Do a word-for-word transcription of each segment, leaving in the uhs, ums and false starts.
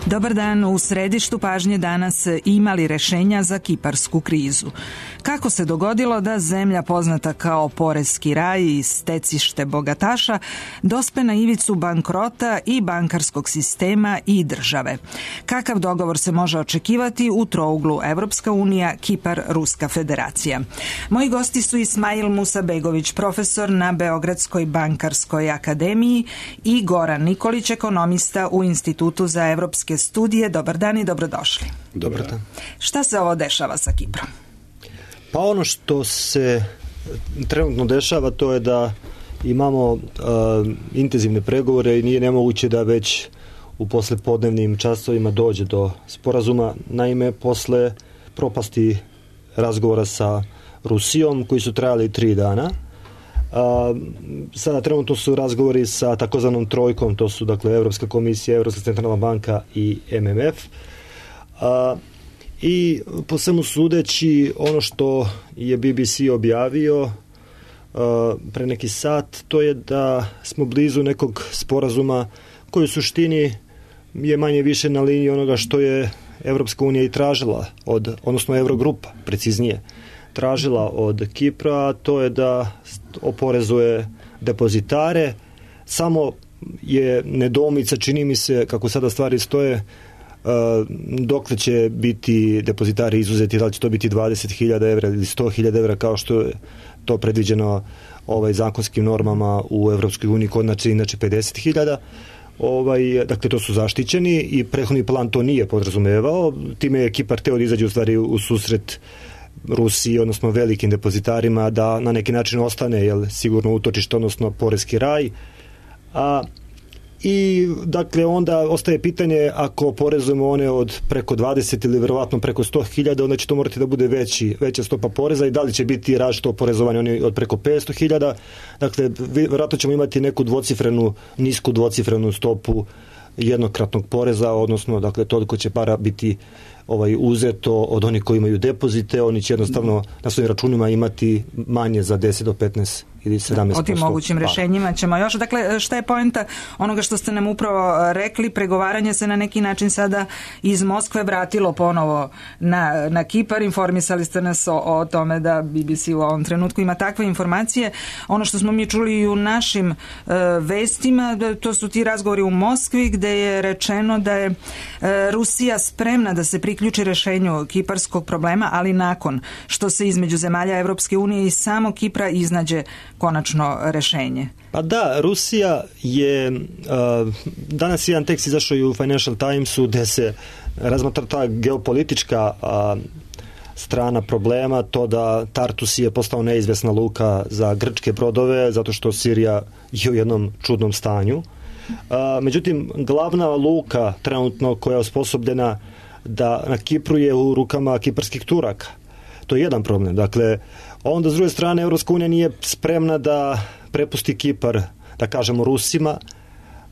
Dobar dan, u središtu pažnje danas imali rešenja za kiparsku krizu. Kako se dogodilo da zemlja poznata kao poreski raj i stecište bogataša dospe na ivicu bankrota i bankarskog sistema i države? Kakav dogovor se može očekivati u trouglu Evropska unija, Kipar, Ruska federacija? Moji gosti su Ismail Musabegović, profesor na Beogradskoj bankarskoj akademiji, i Goran Nikolić, ekonomista u Institutu za evropske studije. Dobar dan i dobrodošli. Dobar dan. Šta se ovo dešava sa Kiprom? Pa ono što se trenutno dešava to je da imamo uh, intenzivne pregovore i nije nemoguće da već u poslepodnevnim časovima dođe do sporazuma. Naime, posle propasti razgovora sa Rusijom koji su trajali tri dana, Uh, sada trenutno su razgovori sa takozvanom trojkom, to su dakle Evropska komisija, Evropska centralna banka i M M F. Uh, I po svemu sudeći, ono što je B B C objavio uh, pre neki sat, to je da smo blizu nekog sporazuma koji u suštini je manje više na liniji onoga što je Evropska unija i tražila od, odnosno Eurogrupa, preciznije, tražila od Kipra, to je da oporezuje depozitare. Samo je nedoumica, čini mi se, kako sada stvari stoje, dokle će biti depozitari izuzeti, da li će to biti dvadeset hiljada evra ili sto hiljada evra, kao što je to predviđeno ovaj, zakonskim normama u Evropskoj uniji, kod znači inače pedeset hiljada. Ovaj, dakle, to su zaštićeni i prethodni plan to nije podrazumevao. Time je Kipar teo da izađe u stvari u susret Rusiji, odnosno velikim depozitarima, da na neki način ostane jel, sigurno utočište, odnosno poreski raj. A, I dakle onda ostaje pitanje, ako porezujemo one od preko dvadeset ili verovatno preko sto hiljada, onda će to morati da bude veći, veća stopa poreza, i da li će biti različito oporezovanje oni od preko petsto hiljada. Dakle, verovatno ćemo imati neku dvocifrenu, nisku dvocifrenu stopu jednokratnog poreza, odnosno dakle toliko će para biti ovaj uzeto od onih koji imaju depozite, oni će jednostavno na svojim računima imati manje za deset do petnaest ili sedamnaest posto. O tim mogućim rešenjima ćemo još. Dakle, šta je poenta onoga što ste nam upravo rekli? Pregovaranje se na neki način sada iz Moskve vratilo ponovo na, na Kipar. Informisali ste nas o, o tome da B B C u ovom trenutku ima takve informacije. Ono što smo mi čuli i u našim e, vestima, to su ti razgovori u Moskvi gde je rečeno da je e, Rusija spremna da se priključi rešenju kiparskog problema, ali nakon što se između zemalja Evropske unije i samo Kipra iznađe konačno rešenje. Pa da, Rusija je, uh, danas jedan tekst izašao i u Financial Timesu gde se razmatra ta geopolitička uh, strana problema, to da Tartus je postao neizvesna luka za grčke brodove, zato što Sirija je u jednom čudnom stanju. Uh, međutim, glavna luka trenutno koja je osposobljena da na Kipru je u rukama kiparskih Turaka. To je jedan problem. Dakle, onda s druge strane Evropska unija nije spremna da prepusti Kipar, da kažemo, Rusima.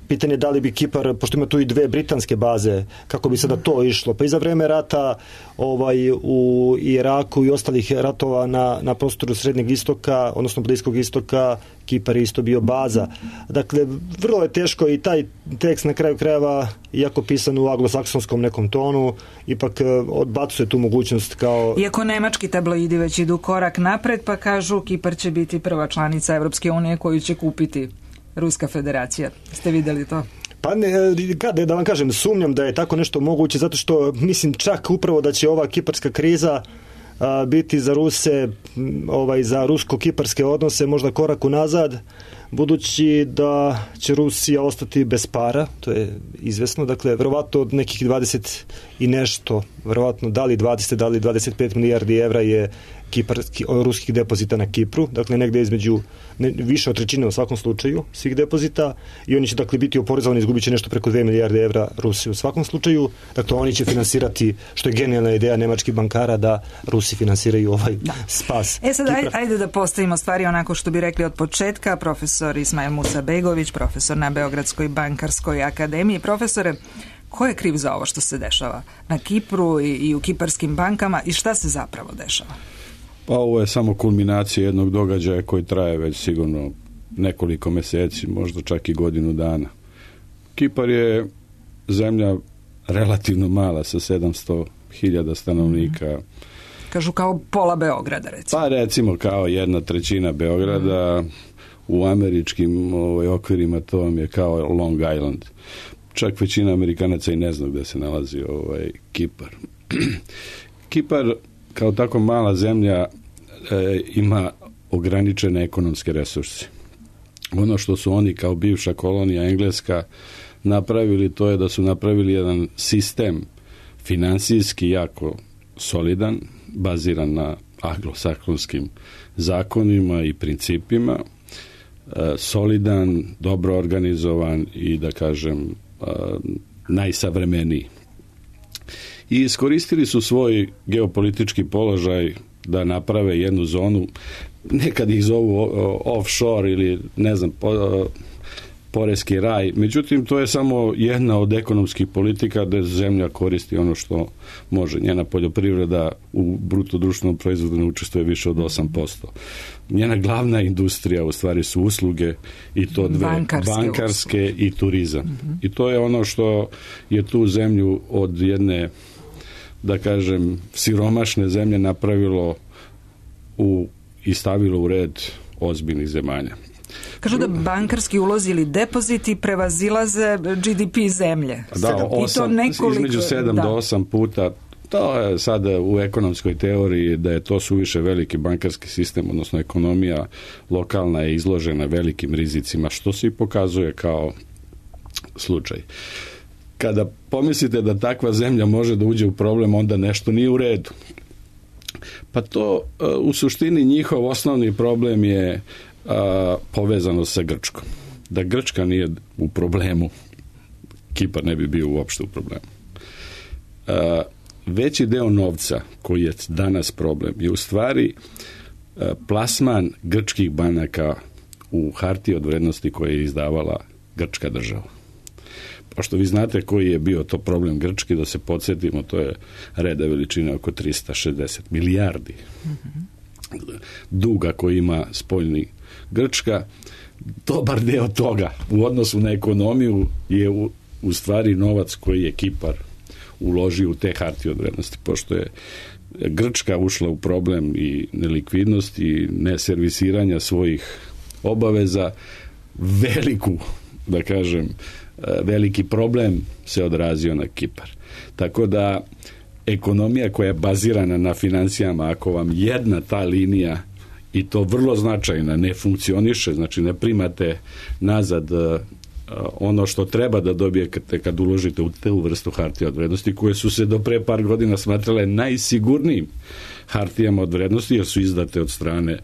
Pitanje je da li bi Kipar, pošto ima tu i dve britanske baze, kako bi sada to išlo. Pa i za vreme rata ovaj, u Iraku i ostalih ratova na, na prostoru Srednjeg istoka, odnosno Bliskog istoka, Kipar je isto bio baza. Dakle, vrlo je teško i taj tekst na kraju krajeva, iako pisan u anglosaksonskom nekom tonu, ipak odbacuje tu mogućnost kao... Iako nemački tabloidi već idu korak napred, pa kažu Kipar će biti prva članica Evropske unije koju će kupiti Ruska federacija. Ste videli to? Pa ne, kada da vam kažem, sumnjam da je tako nešto moguće, zato što mislim čak upravo da će ova kiparska kriza a, biti za Ruse, ovaj, za rusko-kiparske odnose možda korak unazad, budući da će Rusija ostati bez para, to je izvesno, dakle, verovatno od nekih dvadeset i nešto, verovatno da li dvadeset, da li dvadeset pet milijardi evra je kiparski, ruskih depozita na Kipru, dakle negde između ne, više od trećine u svakom slučaju svih depozita, i oni će dakle biti oporezovani, izgubit će nešto preko dve milijarde evra Rusije u svakom slučaju, dakle oni će finansirati, što je genijalna ideja nemačkih bankara, da Rusi finansiraju ovaj da. spas. E sad ajde, ajde da postavimo stvari onako što bi rekli od početka. Profesor Ismail Musabegović, profesor na Beogradskoj bankarskoj akademiji. Profesore, ko je kriv za ovo što se dešava na Kipru i, i u kiparskim bankama i šta se zapravo dešava? Pa ovo je samo kulminacija jednog događaja koji traje već sigurno nekoliko meseci, možda čak i godinu dana. Kipar je zemlja relativno mala sa sedamsto hiljada stanovnika. Kažu kao pola Beograda, recimo. Pa recimo kao jedna trećina Beograda, u američkim ovaj, okvirima to vam je kao Long Island. Čak većina Amerikanaca i ne zna gde se nalazi ovaj Kipar. Kipar kao tako mala zemlja e, ima ograničene ekonomske resurse. Ono što su oni kao bivša kolonija Engleska napravili, to je da su napravili jedan sistem finansijski jako solidan, baziran na anglosaksonskim zakonima i principima, e, solidan, dobro organizovan i da kažem e, najsavremeniji. I iskoristili su svoj geopolitički položaj da naprave jednu zonu, nekad ih zovu offshore ili ne znam, po, poreski raj. Međutim, to je samo jedna od ekonomskih politika da zemlja koristi ono što može. Njena poljoprivreda u bruto društvenom proizvodu ne učestvuje više od osam posto. Njena glavna industrija u stvari su usluge i to dve, bankarske, bankarske i turizam. Mm-hmm. I to je ono što je tu zemlju od jedne, da kažem, siromašne zemlje napravilo u, i stavilo u red ozbiljnih zemalja. Kažu da bankarski ulozi ili depoziti prevazilaze G D P zemlje. Da, osam, nekoliko, između sedam da. do osam puta. To je sada u ekonomskoj teoriji da je to suviše veliki bankarski sistem, odnosno ekonomija lokalna je izložena velikim rizicima, što se i pokazuje kao slučaj. Kada pomislite da takva zemlja može da uđe u problem, onda nešto nije u redu. Pa to u suštini njihov osnovni problem je a, povezano sa Grčkom. Da Grčka nije u problemu, Kipar ne bi bio uopšte u problemu. A, veći deo novca koji je danas problem je u stvari a, plasman grčkih banaka u hartije od vrednosti koje je izdavala grčka država. Pošto vi znate koji je bio to problem Grčki, da se podsjetimo, to je reda veličine oko trista šezdeset milijardi mm-hmm. duga koji ima spoljni Grčka. Dobar deo toga u odnosu na ekonomiju je u, u stvari novac koji je Kipar uložio u te hartije od vrednosti, pošto je Grčka ušla u problem i nelikvidnosti i neservisiranja svojih obaveza, veliku, da kažem, veliki problem se odrazio na Kipar. Tako da ekonomija koja je bazirana na financijama, ako vam jedna ta linija, i to vrlo značajna, ne funkcioniše, znači ne primate nazad ono što treba da dobijete kad uložite u tu vrstu hartija od vrednosti, koje su se do pre par godina smatrale najsigurnijim hartijama od vrednosti, jer su izdate od strane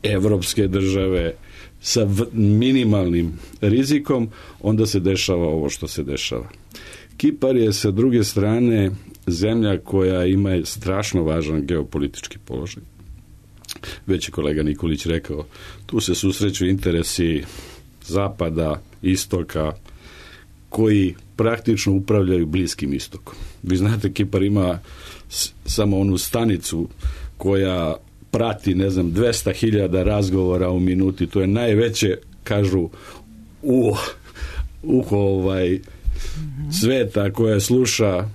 evropske države sa minimalnim rizikom, onda se dešava ovo što se dešava. Kipar je sa druge strane zemlja koja ima strašno važan geopolitički položaj. Već je kolega Nikolić rekao, tu se susreću interesi zapada, istoka, koji praktično upravljaju Bliskim istokom. Vi znate, Kipar ima s- samo onu stanicu koja prati, ne znam, dvesta hiljada razgovora u minuti. To je najveće, kažu, u, u ovaj sveta koja sluša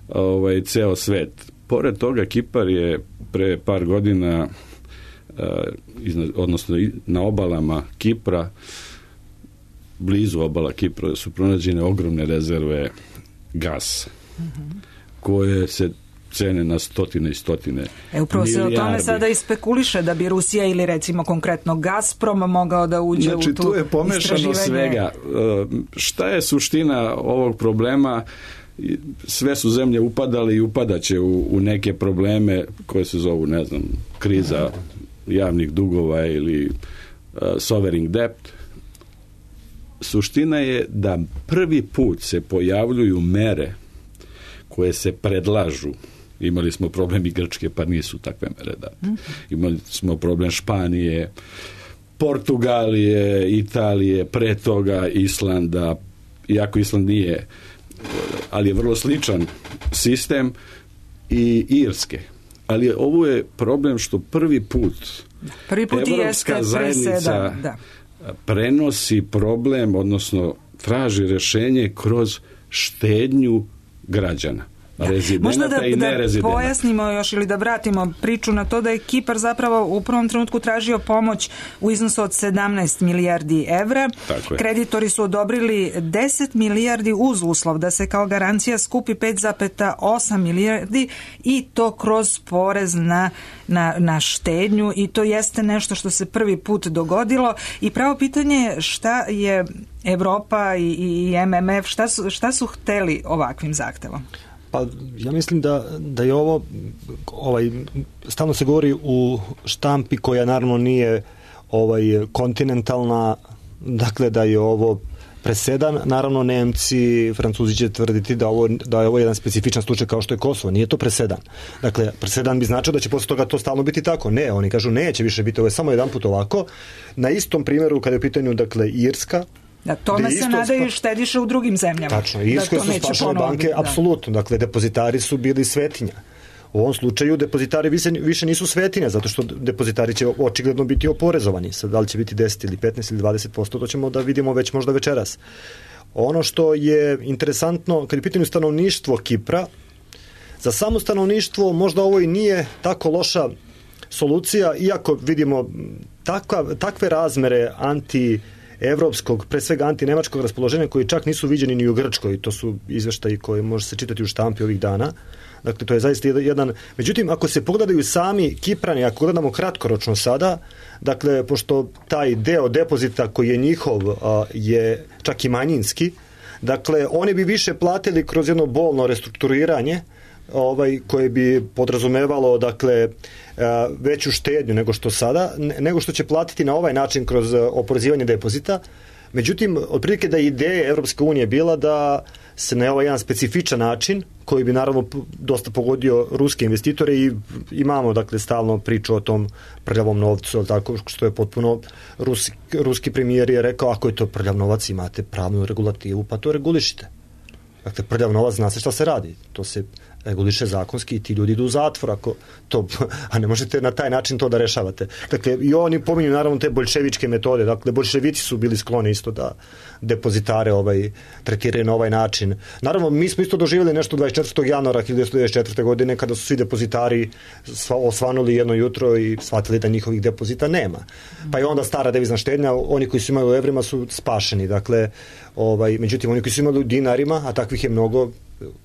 ovaj ceo svet. Pored toga, Kipar je pre par godina odnosno na obalama Kipra, blizu obala Kipra su pronađene ogromne rezerve gasa, mm-hmm. koje se cene na stotine i stotine e, upravo milijardi. Se o tome sada i spekuliše da bi Rusija ili recimo konkretno Gazprom mogao da uđe znači, u tu tu je pomešano svega. Šta je suština ovog problema? Sve su zemlje upadale i upadaće u, u neke probleme koje se zovu, ne znam, kriza javnih dugova ili uh, sovereign debt. Suština je da prvi put se pojavljuju mere koje se predlažu. Imali smo problem i Grčke, pa nisu takve mere date. Imali smo problem Španije, Portugalije, Italije, pre toga Islanda, iako Island nije, ali je vrlo sličan sistem, i Irske. Ali ovo je problem što prvi put, prvi put Evropska zajednica da. prenosi problem, odnosno traži rešenje kroz štednju građana. Možda da, da pojasnimo još ili da vratimo priču na to da je Kipar zapravo u prvom trenutku tražio pomoć u iznosu od sedamnaest milijardi evra. Kreditori su odobrili deset milijardi uz uslov da se kao garancija skupi pet zarez osam milijardi i to kroz porez na, na, na štednju i to jeste nešto što se prvi put dogodilo i pravo pitanje je šta je Evropa i, i M M F, šta su, šta su hteli ovakvim zahtevom? Pa ja mislim da, da je ovo, ovaj, stalno se govori u štampi koja naravno nije ovaj, kontinentalna, dakle da je ovo presedan, naravno Nemci, Francuzi će tvrditi da, ovo, da je ovo jedan specifičan slučaj kao što je Kosovo, nije to presedan. Dakle, presedan bi značio da će posle toga to stalno biti tako. Ne, oni kažu neće više biti, ovo je samo jedan put ovako. Na istom primjeru kada je u pitanju, dakle, Irska, da tome se nadaju štediše u drugim zemljama. Tačno, Irskoj su spašale banke, da. Apsolutno. Dakle, depozitari su bili svetinja. U ovom slučaju depozitari više, više nisu svetinja, zato što depozitari će očigledno biti oporezovani. Sad, da li će biti deset ili petnaest ili dvadeset posto, to ćemo da vidimo već možda večeras. Ono što je interesantno, kad je pitanje stanovništvo Kipra, za samo stanovništvo možda ovo i nije tako loša solucija, iako vidimo takva, takve razmere anti evropskog, pre svega antinemačkog raspoloženja koji čak nisu viđeni ni u Grčkoj, to su izveštaji koje može se čitati u štampi ovih dana. Dakle, to je zaista jedan... Međutim, ako se pogledaju sami Kiprani, ako gledamo kratkoročno sada, dakle, pošto taj deo depozita koji je njihov a, je čak i manjinski, dakle, oni bi više platili kroz jedno bolno restrukturiranje, ovaj, koje bi podrazumevalo, dakle, veću štednju nego što sada, nego što će platiti na ovaj način kroz oporezivanje depozita. Međutim, otprilike da je ideja Evropske unije bila da se na ovaj jedan specifičan način, koji bi naravno dosta pogodio ruske investitore i imamo, dakle, stalno priču o tom prljavom novcu, tako što je potpuno ruski, ruski premijer je rekao, ako je to prljav novac, imate pravnu regulativu, pa to regulišite. Dakle, prljav novac, zna se šta se radi. To se reguliše zakonski i ti ljudi idu u zatvor, ako to, a ne možete na taj način to da rešavate. Dakle, i oni pominju naravno te boljševičke metode. Dakle, boljševici su bili skloni isto da depozitare ovaj, tretiraju na ovaj način. Naravno, mi smo isto doživjeli nešto dvadeset četvrtog januara hiljadu devetsto devedeset četvrte. godine kada su svi depozitari osvanuli jedno jutro i shvatili da njihovih depozita nema. Pa je onda stara devizna štednja, oni koji su imali u evrima su spašeni. Dakle, ovaj, međutim, oni koji su imali u dinarima, a takvih je mnogo,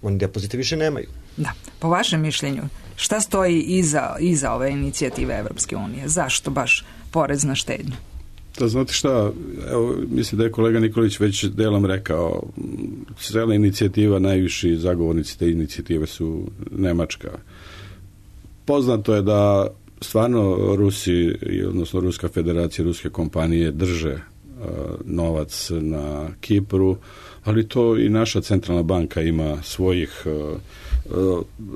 oni depozite više nemaju. Da, po vašem mišljenju, šta stoji iza, iza ove inicijative Evropske unije? Zašto baš porez na štednju? Da, znate šta, evo, mislim da je kolega Nikolić već delom rekao, cijela inicijativa, najviši zagovornici te inicijative su Nemačka. Poznato je da stvarno Rusi, odnosno Ruska federacija, ruske kompanije drže uh, novac na Kipru, ali to i naša centralna banka ima svojih uh,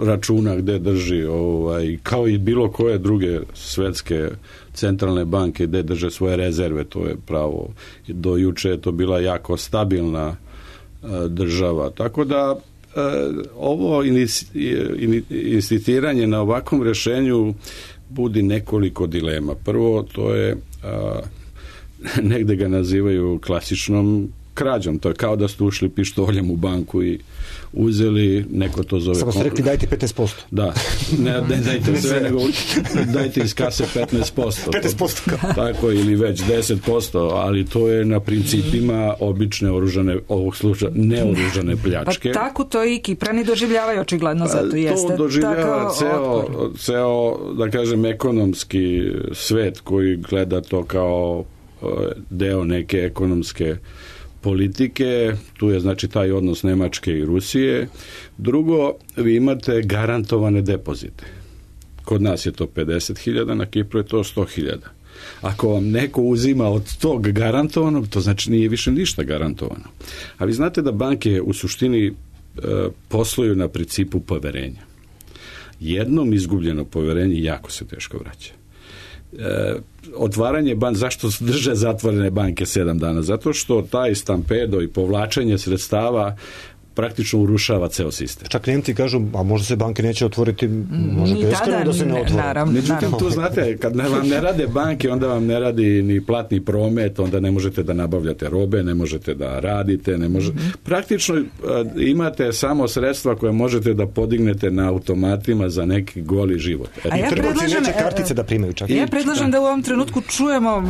računa gde drži, ovaj, kao i bilo koje druge svetske centralne banke gde drže svoje rezerve, to je pravo. Do juče je to bila jako stabilna uh, država. Tako da uh, ovo insistiranje na ovakvom rešenju budi nekoliko dilema. Prvo, to je uh, negde ga nazivaju klasičnom krađom. To je kao da ste ušli pištoljem u banku i uzeli, neko to zove... Samo ste rekli dajte petnaest posto. Da, ne, ne dajte sve, nego dajte iz kase petnaest posto. petnaest posto. Tako, ili već deset posto, ali to je na principima obične oružane, ovog slučaja, neoružane pljačke. Pa tako to i Kiprani doživljavaju očigledno, zato jeste. To doživljava ceo, ceo, da kažem, ekonomski svet koji gleda to kao deo neke ekonomske politike, tu je znači taj odnos Nemačke i Rusije. Drugo, vi imate garantovane depozite. Kod nas je to pedeset hiljada, na Kipru je to sto hiljada. Ako vam neko uzima od tog garantovanog, to znači nije više ništa garantovano. A vi znate da banke u suštini e, posluju na principu poverenja. Jednom izgubljeno poverenje jako se teško vraća. E, otvaranje banke, zašto drže zatvorene banke sedam dana? Zato što taj stampedo i povlačenje sredstava praktično urušava ceo sistem. Čak Nemci kažu, a možda se banke neće otvoriti, može beskrajno da se ne otvore. Naravno, Međutim, naravno. tu znate, kad ne, vam ne rade banke, onda vam ne radi ni platni promet, onda ne možete da nabavljate robe, ne možete da radite, ne može... Mm-hmm. Praktično imate samo sredstva koje možete da podignete na automatima za neki goli život. E, a ja predlažem, neće kartice da primaju čak. Ja predlažem da u ovom trenutku čujemo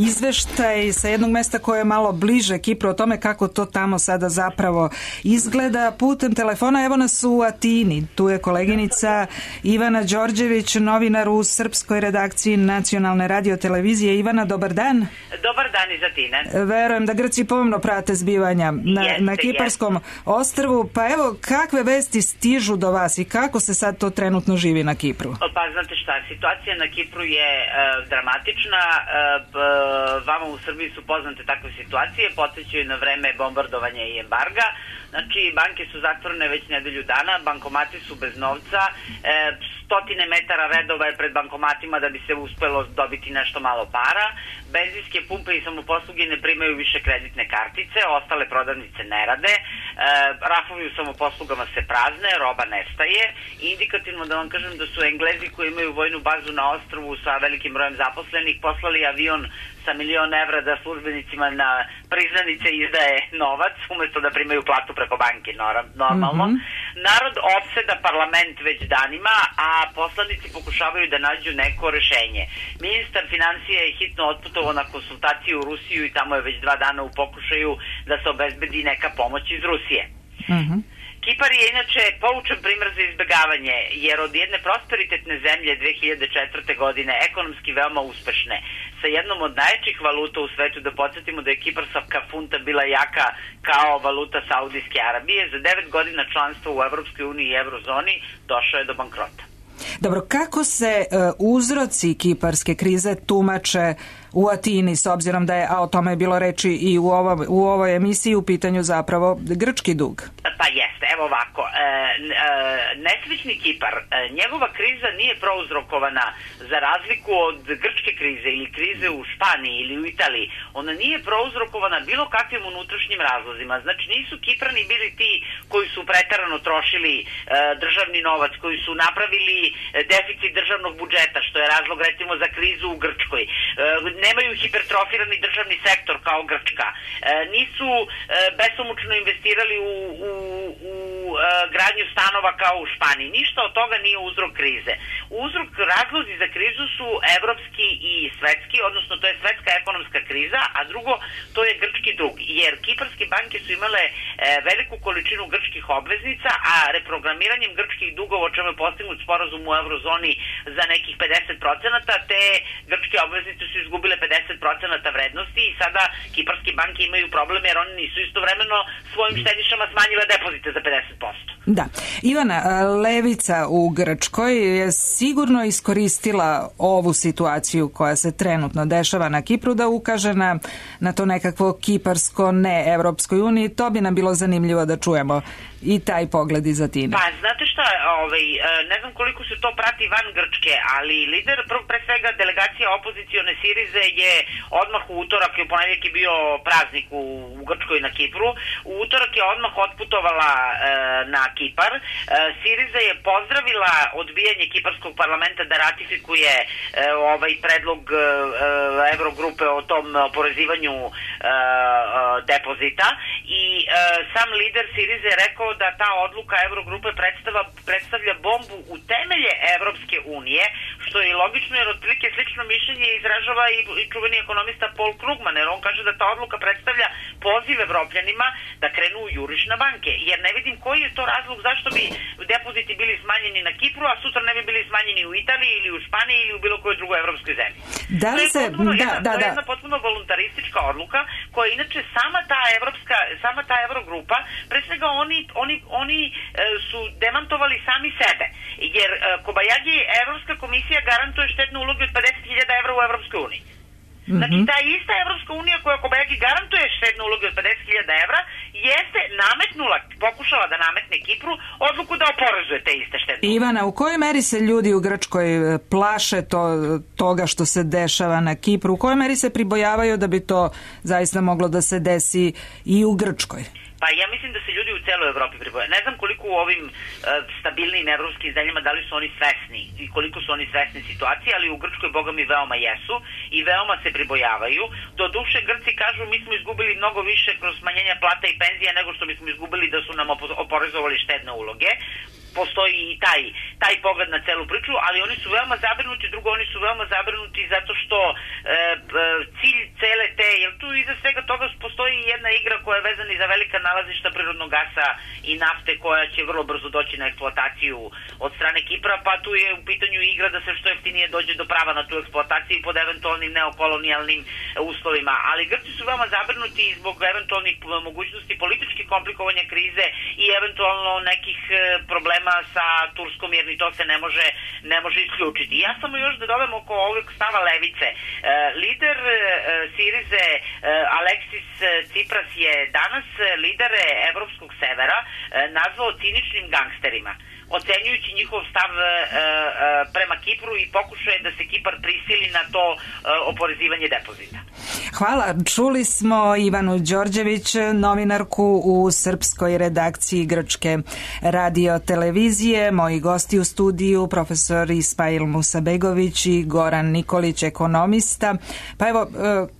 izveštaj sa jednog mesta koje je malo bliže Kipru o tome kako to tamo sada zapravo izgleda putem telefona. Evo nas u Atini. Tu je koleginica Ivana Đorđević, novinar u srpskoj redakciji Nacionalne radiotelevizije. Ivana, dobar dan. Dobar dan iz Atine. Verujem da Grci pomno prate zbivanja na, jeste, na Kiparskom jeste. ostrvu. Pa evo, kakve vesti stižu do vas i kako se sad to trenutno živi na Kipru? Pa znate šta, situacija na Kipru je e, dramatična. E, b, vama u Srbiji su poznate takve situacije, podsjećaju na vreme bombardovanja i embarga. Znači, banke su zatvorene već nedelju dana, bankomati su bez novca, e, stotine metara redova je pred bankomatima da bi se uspelo dobiti nešto malo para, benzinske pumpe i samoposluge ne primaju više kreditne kartice, ostale prodavnice ne rade, e, rafovi u samoposlugama se prazne, roba nestaje. Indikativno da vam kažem da su Englezi koji imaju vojnu bazu na ostrvu sa velikim brojem zaposlenih poslali avion sa milion evra da službenicima na priznanice izdaje novac umesto da primaju platu preko banke normalno. Mm-hmm. Narod opseda parlament već danima, a poslanici pokušavaju da nađu neko rešenje. Ministar financija je hitno otputovao na konsultaciju u Rusiju i tamo je već dva dana u pokušaju da se obezbedi neka pomoć iz Rusije. Mm-hmm. Kipar je inače poučan primer za izbegavanje, jer od jedne prosperitetne zemlje dve hiljade četvrte. godine, ekonomski veoma uspešne, sa jednom od najjačih valuta u svetu, da podsjetimo da je kiparsavka funta bila jaka kao valuta Saudijske Arabije, za devet godina članstva u Evropskoj uniji i Eurozoni došao je do bankrota. Dobro, kako se uh, uzroci kiparske krize tumače u Atini, s obzirom da je, a o tome je bilo reči i u, ovo, u ovoj emisiji, u pitanju zapravo grčki dug? Pa jeste, evo ovako, e, e, nesrećni Kipar, e, njegova kriza nije prouzrokovana za razliku od grčke krize ili krize u Španiji ili u Italiji, ona nije prouzrokovana bilo kakvim unutrašnjim razlozima. Znači nisu Kiprani bili ti koji su preterano trošili e, državni novac, koji su napravili deficit državnog budžeta, što je razlog recimo za krizu u Grčkoj. E, nemaju hipertrofirani državni sektor kao Grčka. E, nisu e, besomučno investirali u, u, u e, gradnju stanova kao u Španiji. Ništa od toga nije uzrok krize. Uzrok, razlozi za krizu su evropski i svetski, odnosno to je svetska ekonomska kriza, a drugo to je grčki dug. Jer kiparske banke su imale e, veliku količinu grčkih obveznica, a reprogramiranjem grčkih dugova, o čemu je postignut sporazum u eurozoni za nekih pedeset procenata, te grčke obveznice su izgubile pedeset procenata vrednosti i sada kiparske banke imaju problem jer oni nisu istovremeno svojim štedišama smanjile depozite za pedeset posto. Da. Ivana, levica u Grčkoj je sigurno iskoristila ovu situaciju koja se trenutno dešava na Kipru da ukaže na, na to nekakvo kiparsko ne Evropskoj uniji. To bi nam bilo zanimljivo da čujemo i taj pogled iz Atine. Pa, znate šta, ovaj, ne znam koliko se to prati van Grčke, ali lider, pre svega delegacija opozicione Sirize je odmah u utorak, u ponedjeljak je bio praznik u, u Grčkoj na Kipru, u utorak je odmah otputovala e, na Kipar. E, Siriza je pozdravila odbijanje kiparskog parlamenta da ratifikuje e, ovaj predlog e, Evrogrupe o tom oporezivanju e, e, depozita i e, sam lider Sirize je rekao da ta odluka Evrogrupe predstavlja, predstavlja bombu u temelje Evropske unije, što je logično jer otprilike slično mišljenje izražava i, i čuveni ekonomista Paul Krugman, jer on kaže da ta odluka predstavlja poziv Evropljanima da krenu u juriš na banke, jer ne vidim koji je to razlog zašto bi depoziti bili smanjeni na Kipru, a sutra ne bi bili smanjeni u Italiji ili u Španiji ili u bilo kojoj drugoj evropskoj zemlji. Da li se, potpuno, da, jedna, da, to je da. jedna potpuno voluntaristička odluka koja inače sama ta evropska, sama ta Evrogrupa, pre svega oni, oni, oni e, su demantovali sami sebe, jer e, Kobajagi Evropska komisija garantuje štetne uloge od pedeset hiljada evra u Evropskoj uniji. Znači, ta ista Evropska unija koja Kobajagi garantuje štedne uloge od pedeset hiljada evra jeste nametnula, pokušala da nametne Kipru odluku da oporezuje te iste štedne uloge. Ivana, u kojoj meri se ljudi u Grčkoj plaše to, toga što se dešava na Kipru? U kojoj meri se pribojavaju da bi to zaista moglo da se desi i u Grčkoj? Pa ja mislim da se ljudi u celoj Evropi pribojaju. Ne znam koliko u ovim uh, stabilnim evropskim zemljama da li su oni svesni i koliko su oni svesni situacije, ali u Grčkoj boga mi veoma jesu i veoma se pribojavaju. Do duše Grci kažu mi smo izgubili mnogo više kroz smanjenja plata i penzija nego što bismo izgubili da su nam oporezovali štedne uloge. Postoji i taj, taj pogled na celu priču, ali oni su veoma zabrinuti, drugo, oni su veoma zabrinuti zato što e, cilj cele te, jer tu iza svega toga postoji jedna igra koja je vezana i za velika nalazišta prirodnog gasa i nafte koja će vrlo brzo doći na eksploataciju od strane Kipra, pa tu je u pitanju igra da se što jeftinije dođe do prava na tu eksploataciju pod eventualnim neokolonijalnim uslovima, ali Grci su veoma zabrinuti zbog eventualnih mogućnosti političkih komplikovanja krize i eventualno nekih problema sa Turskom, jer ni to se ne može, ne može isključiti. Ja samo još da dodam oko ovog stava levice. E, lider e, Sirize e, Aleksis Tsipras je danas lidere Evropskog severa e, nazvao ciničnim gangsterima, ocenjujući njihov stav e, e, prema Kipru i pokušaje da se Kipar prisili na to e, oporezivanje depozita. Hvala. Čuli smo Ivanu Đorđević, novinarku u srpskoj redakciji Grčke radio televizije. Moji gosti u studiju, profesor Ismail Musabegović i Goran Nikolić, ekonomista. Pa evo,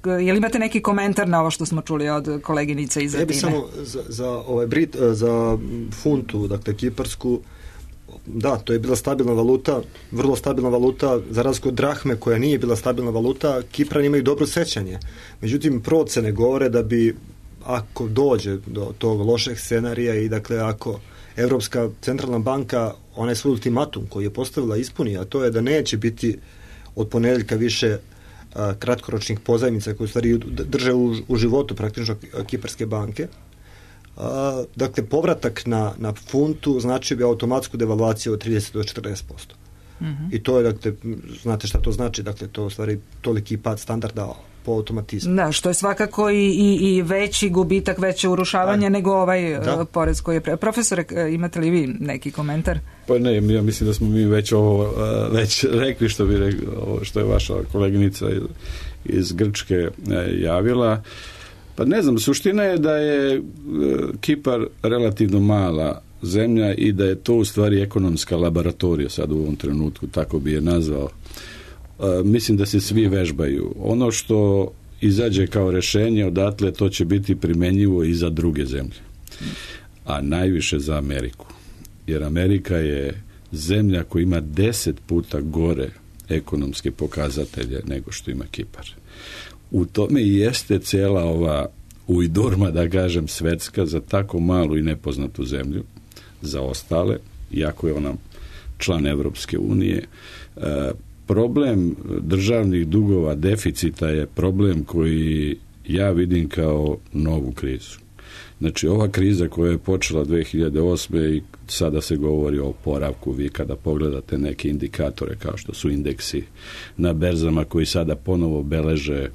je li imate neki komentar na ovo što smo čuli od koleginice iz Atine? Ja bih samo za, za, ovaj Brit, za funtu, dakle kiparsku, da, to je bila stabilna valuta, vrlo stabilna valuta, za razliku od drahme koja nije bila stabilna valuta. Kiprani imaju dobro sećanje. Međutim, procene govore da bi, ako dođe do tog lošeg scenarija i dakle ako Evropska centralna banka onaj svoj ultimatum koji je postavila ispuni, a to je da neće biti od ponedeljka više a, kratkoročnih pozajmica koje u stvari drže u, u životu praktično kiparske banke. A, dakle, povratak na, na funtu znači bi automatsku devalvaciju od trideset do četrdeset posto. Mm-hmm. I to je, dakle, znate šta to znači, dakle, to u stvari toliki pad standarda po automatizmu. Da, što je svakako i, i, i veći gubitak, veće urušavanje, da, nego ovaj da. porez koji je... Pre... Profesore, imate li vi neki komentar? Pa ne, ja mislim da smo mi već ovo već rekli što bi rekli, ovo što je vaša koleginica iz Grčke javila. Pa ne znam, suština je da je Kipar relativno mala zemlja i da je to u stvari ekonomska laboratorija sad u ovom trenutku, tako bi je nazvao. E, mislim da se svi vežbaju. Ono što izađe kao rešenje odatle, to će biti primenjivo i za druge zemlje. A najviše za Ameriku. Jer Amerika je zemlja koja ima deset puta gore ekonomske pokazatelje nego što ima Kipar. U tome i jeste cijela ova ujdurma, da kažem, svetska za tako malu i nepoznatu zemlju, za ostale, iako je ona član Evropske unije. E, problem državnih dugova, deficita je problem koji ja vidim kao novu krizu. Znači, ova kriza koja je počela dve hiljade osme i sada se govori o oporavku, vi kada pogledate neke indikatore kao što su indeksi na berzama koji sada ponovo beleže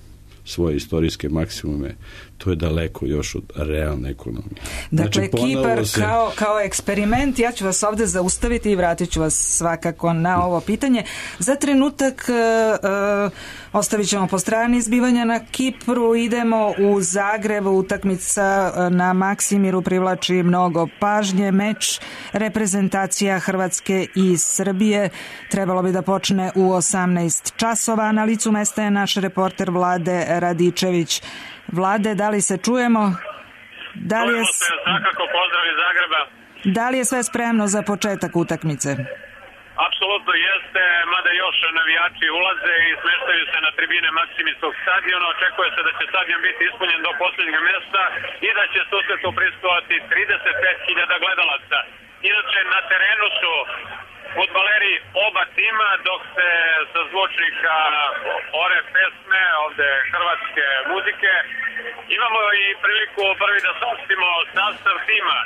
svoje istorijske maksimume, to je daleko još od realne ekonomije. Dakle, znači, Kipar se... kao, kao eksperiment, ja ću vas ovdje zaustaviti i vratit ću vas svakako na ovo pitanje. Za trenutak uh, ostavit ćemo po strani izbivanja na Kipru, idemo u Zagreb, utakmica na Maksimiru privlači mnogo pažnje, meč reprezentacija Hrvatske i Srbije trebalo bi da počne u osamnaest časova. Na licu mesta je naš reporter Vlade Radičević. Vlade, da li se čujemo? Da li je, se, svakako pozdrav iz Zagreba. Da li je sve spremno za početak utakmice? Apsolutno jeste, mada još navijači ulaze i smeštaju se na tribine Maksimirskog stadiona. Očekuje se da će stadion biti ispunjen do posljednjeg mjesta i da će susretu prisustvovati trideset pet hiljada gledalaca. Inače, na terenu su fudbaleri oba tima, dok se sa zvučnika ore pesme, ovde hrvatske muzike. Imamo i priliku prvi da saopštimo sastav tima.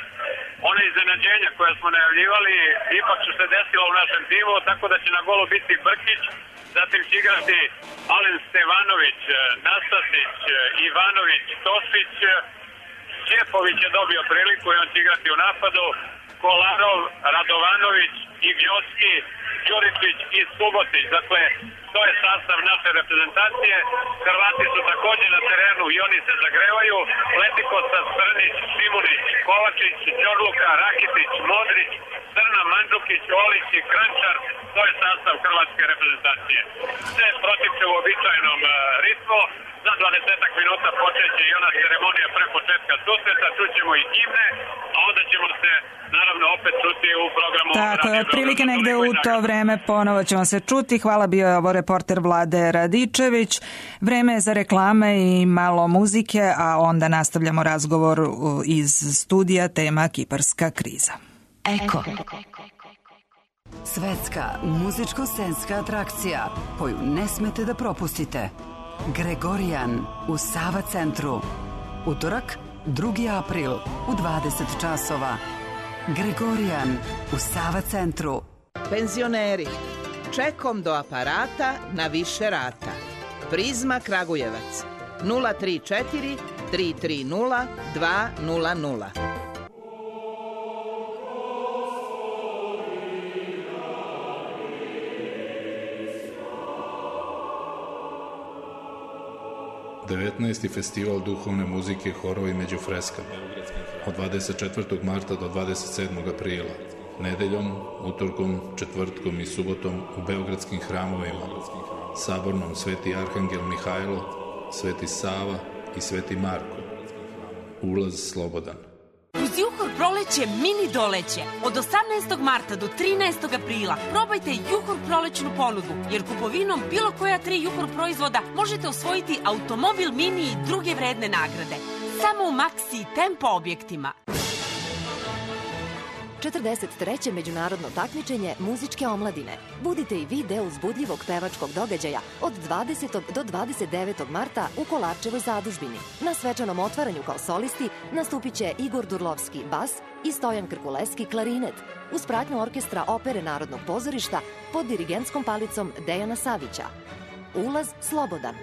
One iznenađenja koje smo najavljivali ipak su se desilo u našem timu, tako da će na golu biti Brkić, zatim će igrati Alen Stevanović, Nastasić, Ivanović, Tošić, Ćepović je dobio priliku i on će igrati u napadu, Kolarov, Radovanović, Ignjocki, Đuričić i Subotić. Dakle, to je sastav naše reprezentacije. Hrvati su također na terenu i oni se zagrevaju. Letikosa, Strnić, Šimunić, Kovačić, Đorluka, Rakitić, Modrić, Crna, Mandžukić, Olić i Krančar, to je sastav hrvatske reprezentacije. Sve protiče u običajnom ritmu. Za dvadesetak minuta počeće i ona ceremonija pre početka susreta, čućemo i himne, a onda ćemo se naravno opet čuti u programu. Tako je, otprilike negde u to vreme ponovo ćemo se čuti. Hvala, bio je ovo reporter Vlade Radičević. Vreme je za reklame i malo muzike, a onda nastavljamo razgovor iz studija, tema kiparska kriza. Eko. Svetska muzičko-scenska atrakcija koju ne smete da propustite. Gregorijan u Sava centru. Utorak, drugi april u dvadeset časova. Gregorijan u Sava centru. Penzioneri, čekom do aparata na više rata. Prizma Kragujevac nula tri četiri tri tri nula dva nula nula. devetnaesti festival duhovne muzike, horovi među freskama od dvadeset četvrtog marta do dvadeset sedmog aprila, nedeljom, utorkom, četvrtkom i subotom u beogradskim hramovima, Sabornom Sveti Arhangel Mihajlo, Sveti Sava i Sveti Marko. Ulaz slobodan. Uz Juhor proleće mini doleće. Od osamnaestog marta do trinaestog aprila probajte Juhor prolećnu ponudu, jer kupovinom bilo koja tri Juhor proizvoda možete osvojiti automobil mini i druge vredne nagrade. Samo u Maxi i Tempo objektima. četrdeset treće međunarodno takmičenje muzičke omladine. Budite i vi deo uzbudljivog pevačkog događaja od dvadesetog do dvadeset devetog marta u Kolarčevoj zadužbini. Na svečanom otvaranju kao solisti nastupit će Igor Durlovski bas i Stojan Krkuleski klarinet, uz pratnju orkestra Opere Narodnog pozorišta pod dirigentskom palicom Dejana Savića. Ulaz slobodan.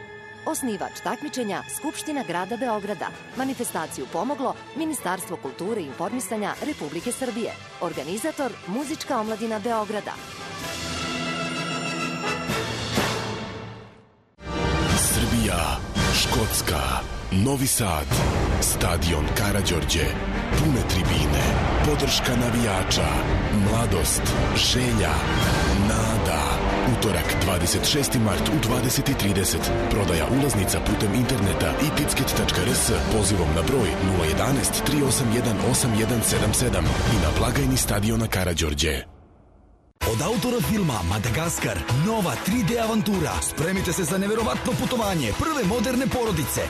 Osnivač takmičenja Skupština grada Beograda. Manifestaciju pomoglo Ministarstvo kulture i informisanja Republike Srbije. Organizator Muzička omladina Beograda. Srbija, Škotska, Novi Sad, stadion Karađorđe, pune tribine, podrška navijača, mladost, želja, nada. Utorak, dvadeset šesti mart u dvadeset i trideset. Prodaja ulaznica putem interneta i ticket tačka r s pozivom na broj nula jedan jedan tri osam jedan osam jedan sedam sedam i na blagajni stadiona Karađorđe. Od autora filma Madagaskar, nova tri D avantura. Spremite se za neverovatno putovanje prve moderne porodice.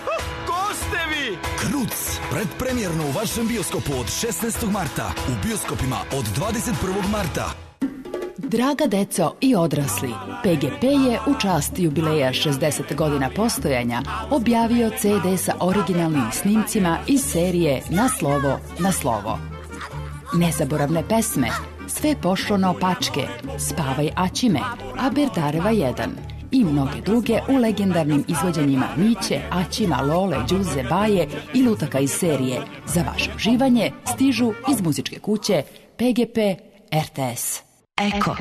Ko ste vi? Kruc, predpremjerno u vašem bioskopu od šesnaestog marta. U bioskopima od dvadeset prvog marta. Draga deco i odrasli, P G P je u čast jubileja šezdeset godina postojanja objavio C D sa originalnim snimcima iz serije Na slovo, na slovo. Nezaboravne pesme, Sve pošlo naopačke, Spavaj Aćime, Aberdareva jedan i mnoge druge u legendarnim izvođenjima Miće, Aćima, Lole, Đuze, Baje i lutaka iz serije za vaše uživanje stižu iz muzičke kuće P G P R T S. Eko.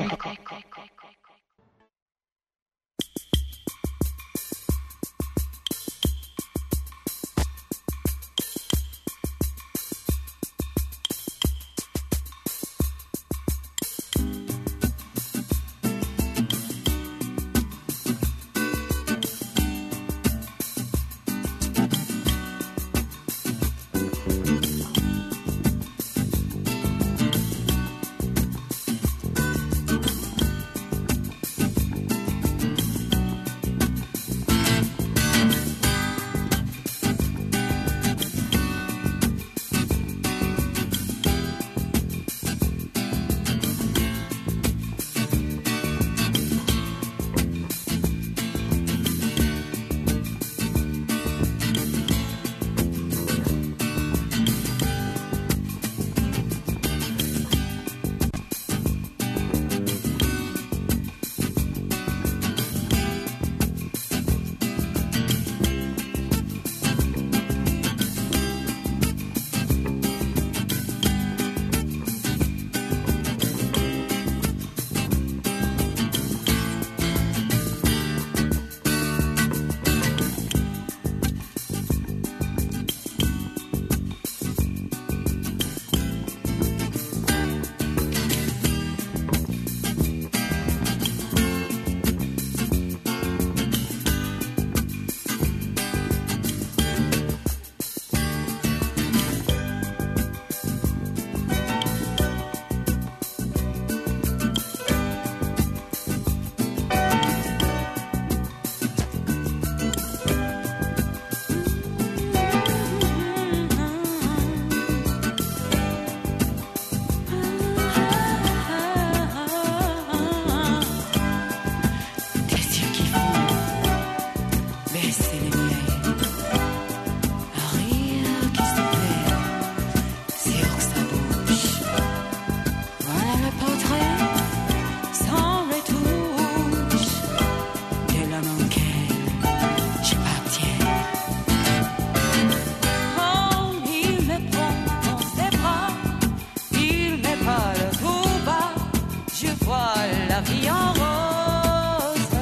la vie en rose.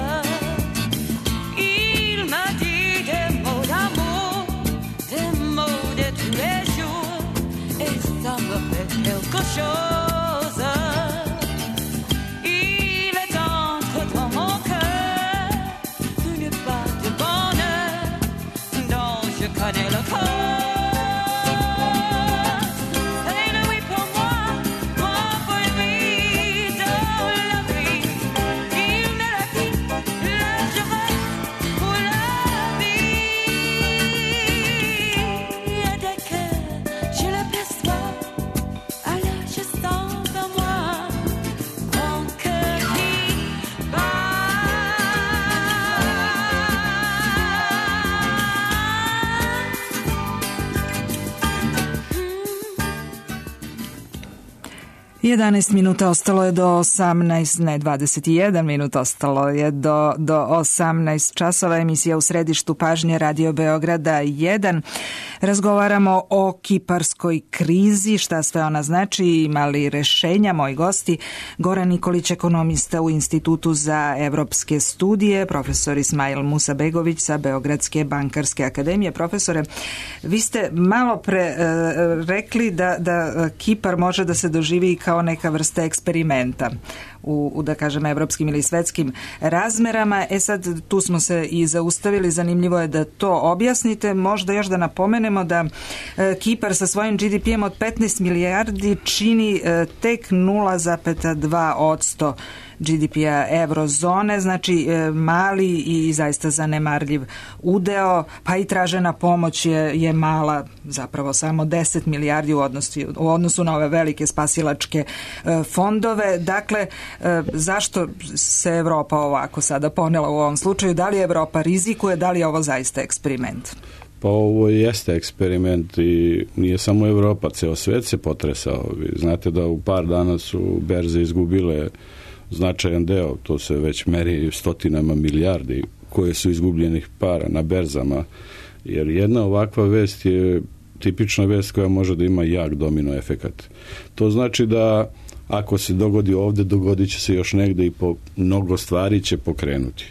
Il m'a dit des mots d'amour, des mots de tous les jours, et ça me fait quelque chose. Il est entré dans mon cœur une part de bonheur dont je connais le code. jedanaest minuta ostalo je do osamnaest, ne dvadeset jedan minut ostalo je do, do osamnaest časova. Emisija U središtu pažnje Radio Beograda jedan. Razgovaramo o kiparskoj krizi, šta sve ona znači, ima li rešenja. Moji gosti, Goran Nikolić, ekonomista u Institutu za evropske studije, profesor Ismail Musabegović sa Beogradske bankarske akademije. Profesore, vi ste malo pre e, rekli da, da Kipar može da se doživi kao neka vrsta eksperimenta u, u da kažem evropskim ili svetskim razmerama. E sad tu smo se i zaustavili, zanimljivo je da to objasnite. Možda još da napomenemo da e, Kipar sa svojim G D P-em od petnaest milijardi čini e, tek nula zarez dva posto G D P-a eurozone, znači e, mali i zaista zanemarljiv udeo, pa i tražena pomoć je, je mala, zapravo samo deset milijardi u odnosu, u odnosu na ove velike spasilačke e, fondove. Dakle, e, zašto se Evropa ovako sada ponela u ovom slučaju? Da li Evropa rizikuje, da li je ovo zaista eksperiment? Pa ovo jeste eksperiment i nije samo Evropa, ceo svet se potresao. Vi znate da u par dana su berze izgubile značajan deo, to se već meri stotinama milijardi koje su izgubljenih para na berzama, jer jedna ovakva vest je tipična vest koja može da ima jak domino efekat. To znači da ako se dogodi ovde, dogodit će se još negde i po mnogo stvari će pokrenuti.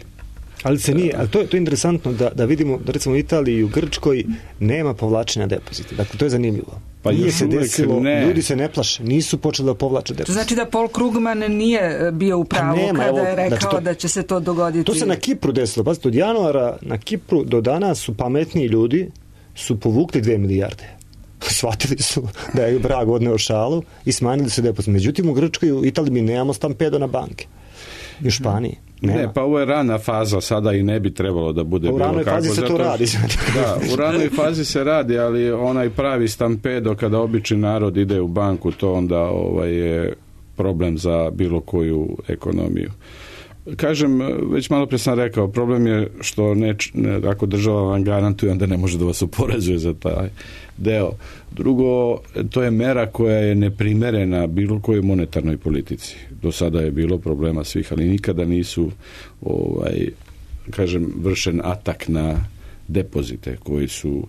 Ali se nije, ali to je, to je interesantno da, da vidimo da recimo u Italiji i u Grčkoj nema povlačenja depozita. Dakle, to je zanimljivo. Pa nije se desilo, ne. Ljudi se ne plaše, nisu počeli da povlače depozit. To znači da Paul Krugman nije bio u pravu nema, kada je rekao znači to, da će se to dogoditi. To se na Kipru desilo. Pazite, od januara na Kipru do danas su pametniji ljudi su povukli dve milijarde. Shvatili su da je vrag odneo šalu i smanjili su depozit. Međutim, u Grčkoj i u Italiji mi nemamo stampedo na banke. I u Španiji. Nema. Ne, pa ovo je rana faza, sada i ne bi trebalo da bude pa bilo kako. U ranoj fazi se zato, to radi. Da, u ranoj fazi se radi, ali onaj pravi stampedo kada obični narod ide u banku, to onda ovaj, je problem za bilo koju ekonomiju. Kažem, već malo pre sam rekao, problem je što ne, ne, ako država vam garantuje, onda ne može da vas oporezuje za taj deo. Drugo, to je mera koja je neprimerena bilo kojoj monetarnoj politici. Do sada je bilo problema svih, ali nikada nisu ovaj, kažem, vršen atak na depozite koji su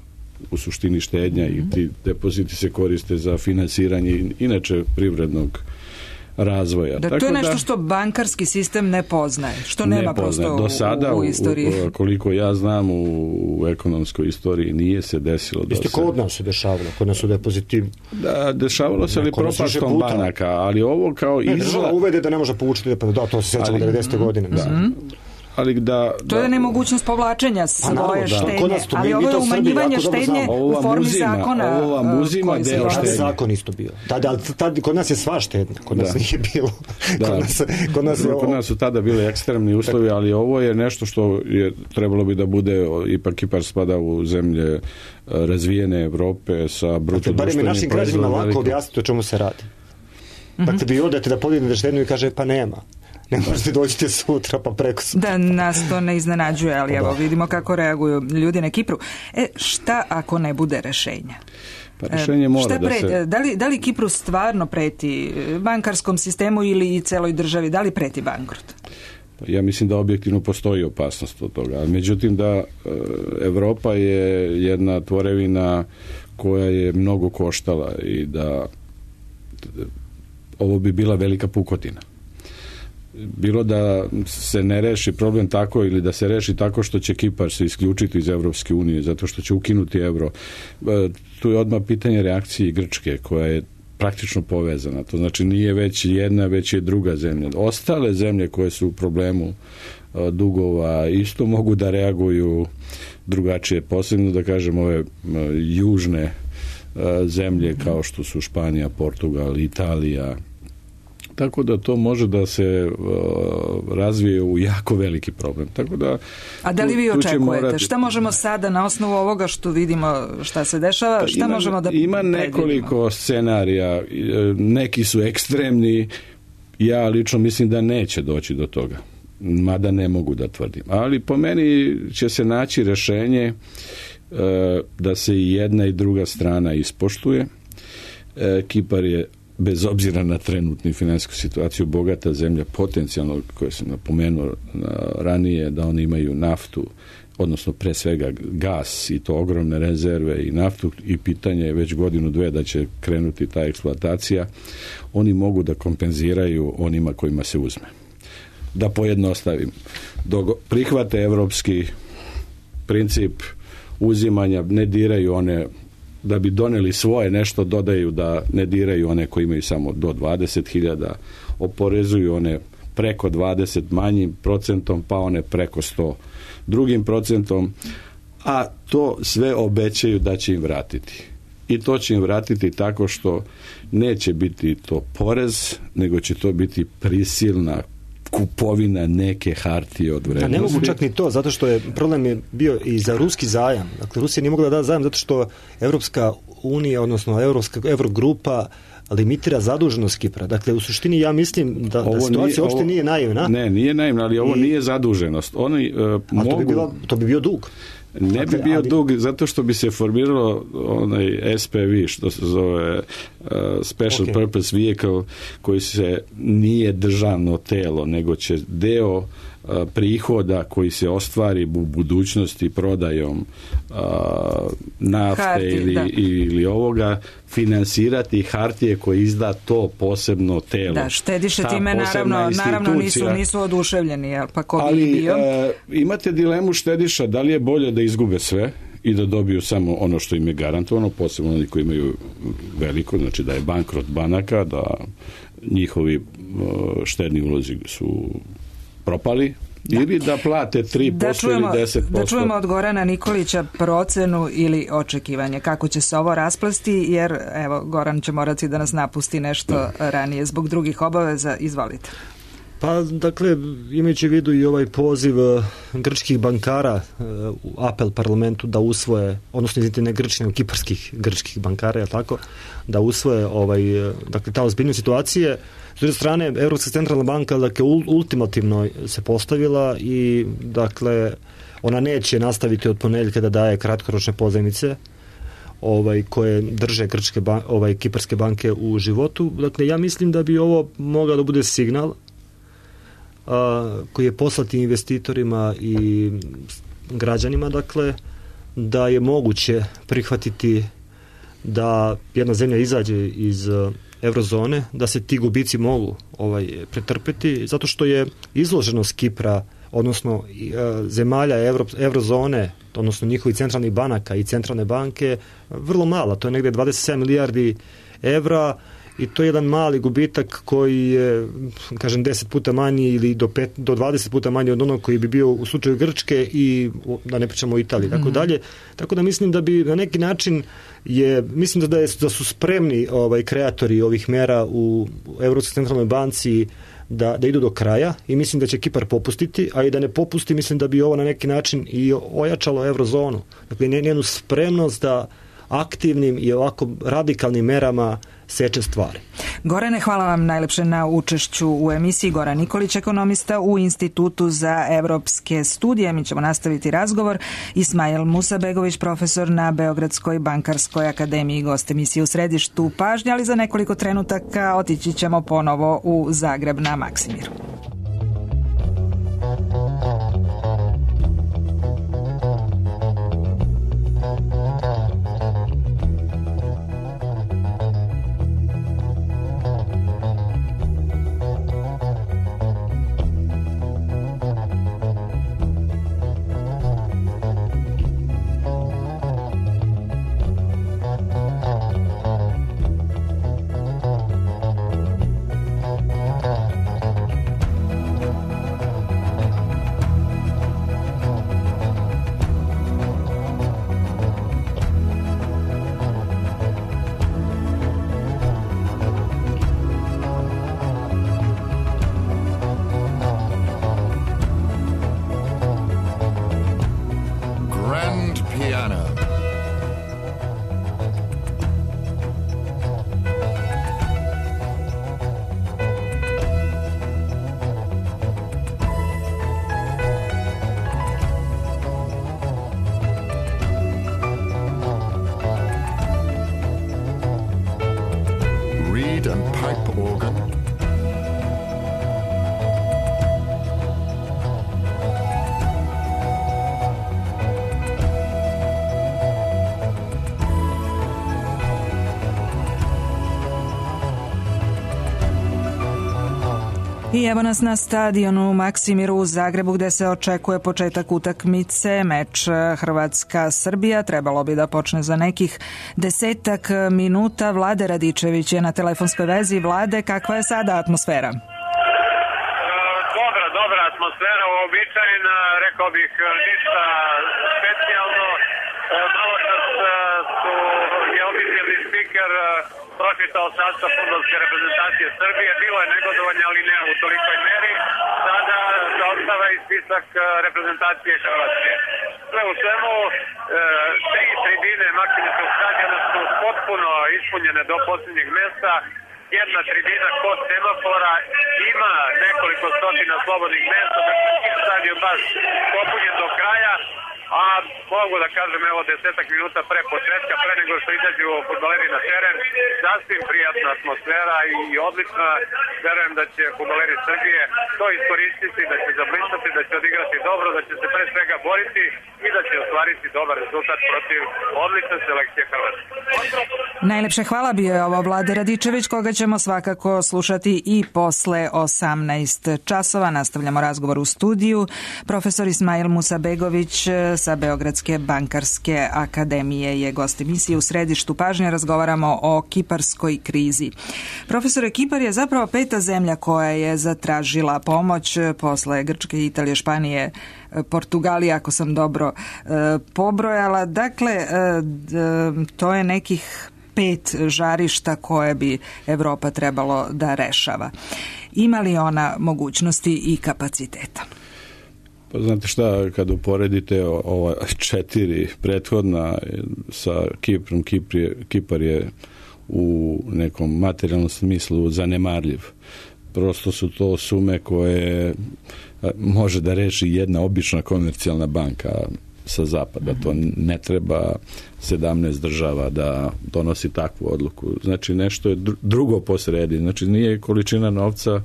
u suštini štednja i ti depoziti se koriste za finansiranje inače privrednog razvoja. Da, tako to je nešto da, što bankarski sistem ne poznaje, što nema ne poznaje. prosto do sada, u, u istoriji. U, koliko ja znam, u, u ekonomskoj istoriji nije se desilo. Isto kod nas se dešavalo, kod nas su depoziti. Da, dešavalo se ali propastom banaka, ali ovo kao izgleda... Država uvede da ne može povučiti depozit, da, to se sjećamo devedesete godine. Da. Mm-hmm. Ali da, to je da, nemogućnost povlačenja svoje štednje, to, ali ovo je umanjivanje štednje u formi muzima, zakona. Ovo vam uzima deo štednje. Zakon isto bio. Tada, ali tad, kod nas je sva štednja, kod nas da. nije bilo. Da. Kod, nas, kod, nas je kod nas su tada bili ekstremni uslovi, ali ovo je nešto što je trebalo bi da bude, ipak Kipar spada u zemlje razvijene Evrope sa bruto društvenim proizvodom. Bar mi našim građanima lako objasniti o čemu se radi. Dakle, vi odete da podignete štednju i kaže, pa nema. Ne možete dođite sutra pa preko sutra. Da, nas to ne iznenađuje, ali evo vidimo kako reaguju ljudi na Kipru. E, šta ako ne bude rešenja? Pa rešenje mora da se... Da li, da li Kipru stvarno preti bankarskom sistemu ili i celoj državi? Da li preti bankrot? Ja mislim da objektivno postoji opasnost od toga. Međutim, da Evropa je jedna tvorevina koja je mnogo koštala i da ovo bi bila velika pukotina. bilo da se ne reši problem tako ili da se reši tako što će Kipar se isključiti iz Evropske unije zato što će ukinuti euro. Tu je odmah pitanje reakcije Grčke koja je praktično povezana. To znači nije već jedna, već je druga zemlja. Ostale zemlje koje su u problemu dugova isto mogu da reaguju drugačije. Posebno da kažem ove južne zemlje kao što su Španija, Portugal, Italija. Tako da to može da se uh, razvije u jako veliki problem. Tako da, a da li vi tu, tu očekujete? Morati... Šta možemo sada na osnovu ovoga što vidimo šta se dešava? Šta ima, možemo da ima nekoliko predvidimo? Scenarija. Neki su ekstremni. Ja lično mislim da neće doći do toga. Mada ne mogu da tvrdim. Ali po meni će se naći rešenje uh, da se i jedna i druga strana ispoštuje. Uh, Kipar je bez obzira na trenutnu finansijsku situaciju bogata zemlja potencijalno, koje sam napomenuo ranije, da oni imaju naftu, odnosno pre svega gas i to ogromne rezerve i naftu i pitanje je već godinu dve da će krenuti ta eksploatacija, oni mogu da kompenziraju onima kojima se uzme. Da pojednostavim, dok prihvate evropski princip uzimanja, ne diraju one da bi doneli svoje nešto, dodaju da ne diraju one koji imaju samo do dvadeset hiljada, oporezuju one preko dvadeset manjim procentom, pa one preko sto drugim procentom, a to sve obećaju da će im vratiti. I to će im vratiti tako što neće biti to porez, nego će to biti prisilna kupovina neke hartije od vrednosti. A ne mogu čak ni to, zato što je problem je bio i za ruski zajam. Dakle, Rusija nije mogla da da zajam zato što Evropska unija, odnosno Evropska Evrogrupa limitira zaduženost Kipra. Dakle, u suštini ja mislim da, da situacija uopšte nije naivna. Ne, nije naivna, ali ovo I, nije zaduženost. Oni uh, mogu... To bi, bilo, to bi bio dug. Ne dakle, bi bio ali... dug zato što bi se formiralo onaj S P V, što se zove uh, Special okay. Purpose Vehicle, koji se nije državno telo, nego će deo uh, prihoda koji se ostvari u budućnosti prodajom uh, nafte Harti, ili, ili ovoga finansirati hartije koje izda to posebno telo. Da, štediše time naravno, naravno nisu, nisu oduševljeni, pa ko ali, bi bio? Ali imate dilemu štediša, da li je bolje da izgube sve i da dobiju samo ono što im je garantovano, posebno oni koji imaju veliko, znači da je bankrot banaka, da njihovi štedni ulozi su propali, da. Ili da plate tri posto da čujemo, ili deset posto. Da čujemo od Gorana Nikolića procenu ili očekivanje kako će se ovo rasplesti, jer evo, Goran će morati da nas napusti nešto da. ranije zbog drugih obaveza. Izvolite. Pa, dakle, imajući u vidu i ovaj poziv grčkih bankara u apel parlamentu da usvoje, odnosno izvinite ne grčkih, nego kiparskih grčkih bankara, je tako, da usvoje ovaj, dakle, ta ozbiljna situacije. S druge strane, Evropska centralna banka, dakle, ultimativno se postavila i, dakle, ona neće nastaviti od ponedjeljka da daje kratkoročne pozajmice ovaj, koje drže grčke ban, ovaj, kiparske banke u životu. Dakle, ja mislim da bi ovo mogao da bude signal a, koji je poslati investitorima i građanima, dakle, da je moguće prihvatiti da jedna zemlja izađe iz eurozone, da se ti gubici mogu ovaj, pretrpeti, zato što je izloženost Kipra, odnosno e, zemalja Evro, eurozone, odnosno njihovih centralnih banaka i centralne banke, vrlo mala. To je negde dvadeset sedam milijardi evra i to je jedan mali gubitak koji je, kažem, deset puta manji ili do, pet, do dvadeset puta manji od onog koji bi bio u slučaju Grčke i da ne pričamo o Italiji, tako mm. dalje. Tako da mislim da bi na neki način je, mislim da, je, da su spremni ovaj, kreatori ovih mera u Evropskoj centralnoj banci da, da idu do kraja i mislim da će Kipar popustiti, a i da ne popusti, mislim da bi ovo na neki način i ojačalo eurozonu. Dakle, njenu spremnost da aktivnim i ovako radikalnim merama seče stvari. Gorane, hvala vam najlepše na učešću u emisiji. Goran Nikolić, ekonomista u Institutu za evropske studije. Mi ćemo nastaviti razgovor. Ismail Musabegović, profesor na Beogradskoj bankarskoj akademiji, gost emisije u središtu pažnje, ali za nekoliko trenutaka otići ćemo ponovo u Zagreb na Maksimiru. I evo nas na stadionu Maksimiru u Zagrebu gde se očekuje početak utakmice. Meč Hrvatska-Srbija trebalo bi da počne za nekih desetak minuta. Vlade Radičević je na telefonskoj vezi. Vlade, kakva je sada atmosfera? Dobra, dobra atmosfera, uobičajena, rekao bih ništa specijalno. Malo čas su je oficijalni spiker pročitao sastav fudbalske reprezentacije Srbije. Bilo je negodovanja, ali ne u tolikoj meri. Sada zaostava i spisak reprezentacije Hrvatske. Sve u svemu, tri tribine Maksimirskog stadiona su potpuno ispunjene do posljednjeg mesta. Jedna tribina kod semafora, ima nekoliko stotina slobodnih mesta, dakle stadion baš popunjen do kraja. A mogu da kažem, evo, desetak minuta pre početka, pre nego što izađu fudbaleri na teren, sasvim prijatna atmosfera i odlična. Verujem da će fudbaleri Srbije to iskoristiti, da će zablistati, da će odigrati dobro, da će se pre svega boriti i da će ostvariti dobar rezultat protiv odlične selekcije Hrvatske. Najlepše hvala, bio je ovo Vlade Radičević, koga ćemo svakako slušati i posle osamnaest časova. Nastavljamo razgovor u studiju. Profesor Ismail Musabegović sa Beogradske bankarske akademije je gost emisije. U središtu pažnje razgovaramo o kiparskoj krizi. Profesore, Kipar je zapravo peta zemlja koja je zatražila pomoć posle Grčke, Italije, Španije, Portugalije, ako sam dobro e, pobrojala. Dakle, e, to je nekih pet žarišta koje bi Evropa trebalo da rešava. Ima li ona mogućnosti i kapaciteta? Pa znate šta, kad uporedite ova četiri prethodna sa Kiprom, Kipar je, Kipar je u nekom materijalnom smislu zanemarljiv. Prosto su to sume koje može da reši jedna obična komercijalna banka sa zapada. To ne treba sedamnaest država da donosi takvu odluku. Znači nešto je drugo posredi. Znači nije količina novca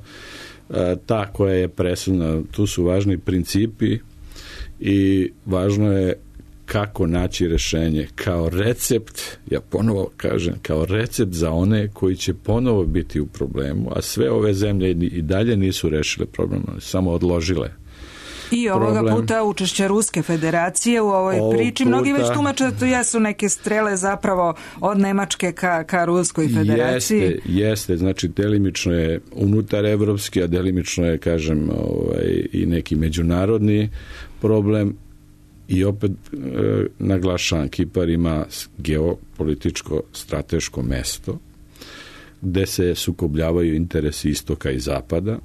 ta koja je presudna. Tu su važni principi i važno je kako naći rešenje kao recept, ja ponovo kažem, kao recept za one koji će ponovo biti u problemu, a sve ove zemlje i dalje nisu rešile problem, samo odložile. I ovoga problem. puta učešće Ruske federacije u ovoj Ovog priči. Mnogi puta, već tumače to jesu neke strele zapravo od Nemačke ka, ka Ruskoj federaciji. Jeste, jeste. Znači delimično je unutar evropski, a delimično je, kažem, ovaj, i neki međunarodni problem. I opet e, naglašavam, Kipar ima geopolitičko strateško mesto gde se sukobljavaju interesi istoka i zapada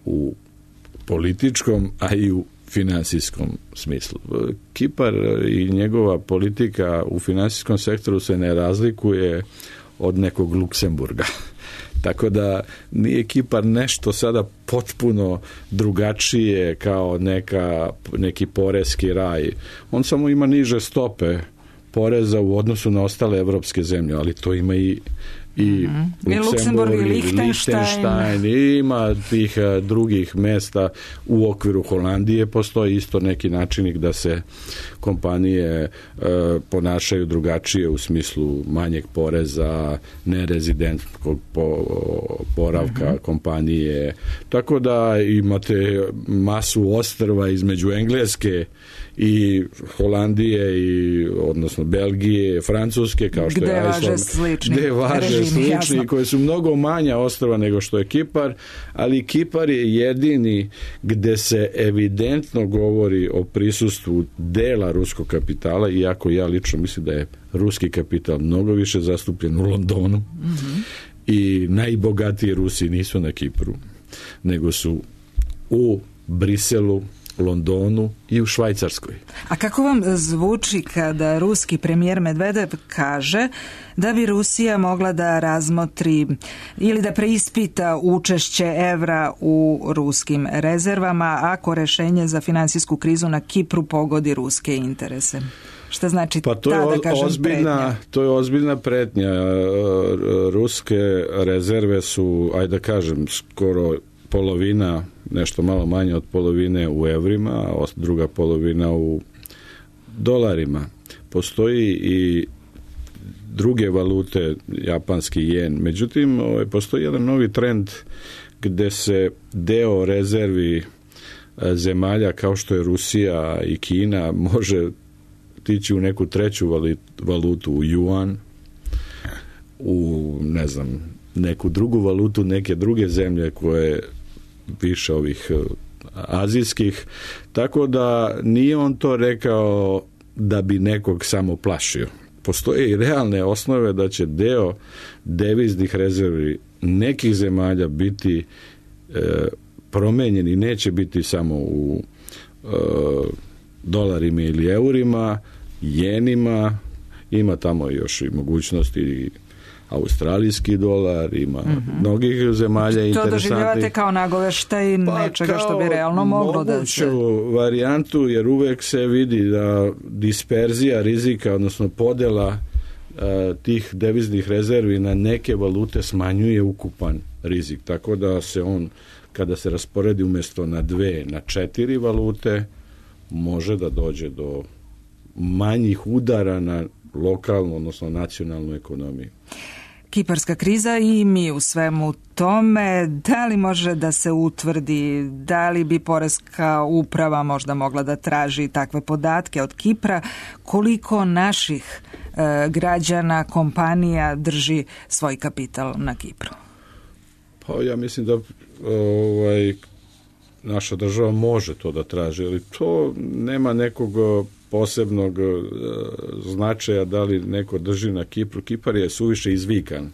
u političkom, a i u finansijskom smislu. Kipar i njegova politika u finansijskom sektoru se ne razlikuje od nekog Luksemburga. Tako da nije Kipar nešto sada potpuno drugačije kao neka, neki poreski raj. On samo ima niže stope poreza u odnosu na ostale evropske zemlje, ali to ima i i mm-hmm. Luksemburg i Lichtenstein. Ima tih drugih mesta u okviru Holandije. Postoji isto neki načinik da se kompanije e, ponašaju drugačije u smislu manjeg poreza, nerezidentskog po, poravka mm-hmm. kompanije. Tako da imate masu ostrva između Engleske i Holandije i odnosno Belgije, Francuske, kao što gde je važe slični, gde važe režimi, slični jasno. Koje su mnogo manja ostrva nego što je Kipar, ali Kipar je jedini gde se evidentno govori o prisustvu dela ruskog kapitala, iako ja lično mislim da je ruski kapital mnogo više zastupljen u Londonu mm-hmm. i najbogatiji Rusi nisu na Kipru, nego su u Briselu, Londonu i u Švajcarskoj. A kako vam zvuči kada ruski premijer Medvedev kaže da bi Rusija mogla da razmotri ili da preispita učešće evra u ruskim rezervama ako rešenje za finansijsku krizu na Kipru pogodi ruske interese? Šta znači pa to ta, je da kažem, ozbiljna, pretnja? To je ozbiljna pretnja. Ruske rezerve su, ajde da kažem, skoro polovina, nešto malo manje od polovine u evrima, a druga polovina u dolarima. Postoji i druge valute, japanski jen. Međutim, postoji jedan novi trend gde se deo rezervi zemalja kao što je Rusija i Kina može tići u neku treću valutu, u juan, u ne znam, neku drugu valutu, neke druge zemlje koje više ovih azijskih, tako da nije on to rekao da bi nekog samo plašio. Postoje i realne osnove da će deo deviznih rezervi nekih zemalja biti e, promenjeni, neće biti samo u e, dolarima ili eurima, jenima, ima tamo još i mogućnosti australijski dolar, ima mm-hmm. mnogih zemalja to interesantnih. To doživljavate kao nagoveštaj pa nečega što bi realno moglo da se... varijantu, jer uvek se vidi da disperzija rizika, odnosno podela uh, tih deviznih rezervi na neke valute smanjuje ukupan rizik. Tako da se on, kada se rasporedi umjesto na dve, na četiri valute, može da dođe do manjih udara na lokalnu, odnosno nacionalnu ekonomiju. Kiparska kriza i mi u svemu tome, da li može da se utvrdi, da li bi poreska uprava možda mogla da traži takve podatke od Kipra, koliko naših e, građana, kompanija drži svoj kapital na Kipru? Pa ja mislim da ovaj, naša država može to da traži, ali to nema nekog posebnog značaja da li neko drži na Kipru. Kipar je suviše izvikan.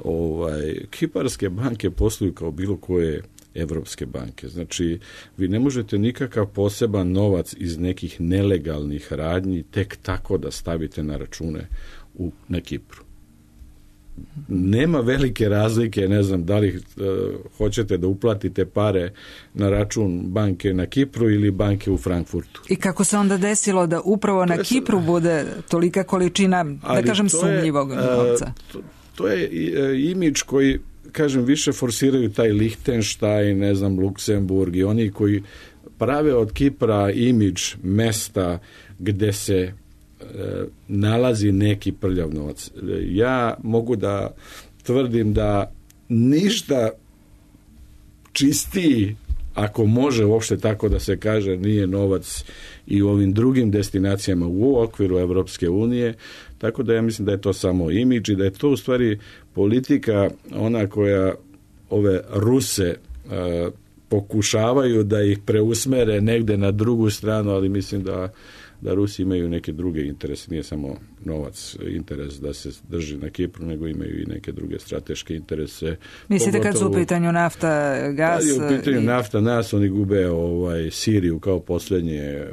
Ovaj, kiparske banke posluju kao bilo koje evropske banke. Znači, vi ne možete nikakav poseban novac iz nekih nelegalnih radnji tek tako da stavite na račune u, na Kipru. Nema velike razlike, ne znam da li uh, hoćete da uplatite pare na račun banke na Kipru ili banke u Frankfurtu. I kako se onda desilo da upravo na Kipru bude tolika količina, da kažem, sumnjivog novca? Uh, to, to je uh, imidž koji, kažem, više forsiraju taj Lichtenstein, ne znam, Luksemburg i oni koji prave od Kipra imidž mesta gde se nalazi neki prljav novac. Ja mogu da tvrdim da ništa čistiji, ako može uopšte tako da se kaže, nije novac i u ovim drugim destinacijama u okviru Evropske unije, tako da ja mislim da je to samo imidž i da je to u stvari politika ona koja ove Ruse uh, pokušavaju da ih preusmere negde na drugu stranu, ali mislim da da Rusi imaju neke druge interese, nije samo novac interes da se drži na Kipru, nego imaju i neke druge strateške interese. Mislite kad su u pitanju nafta, gas? Kad je u pitanju i... nafta, nas oni gube ovaj, Siriju kao posljednje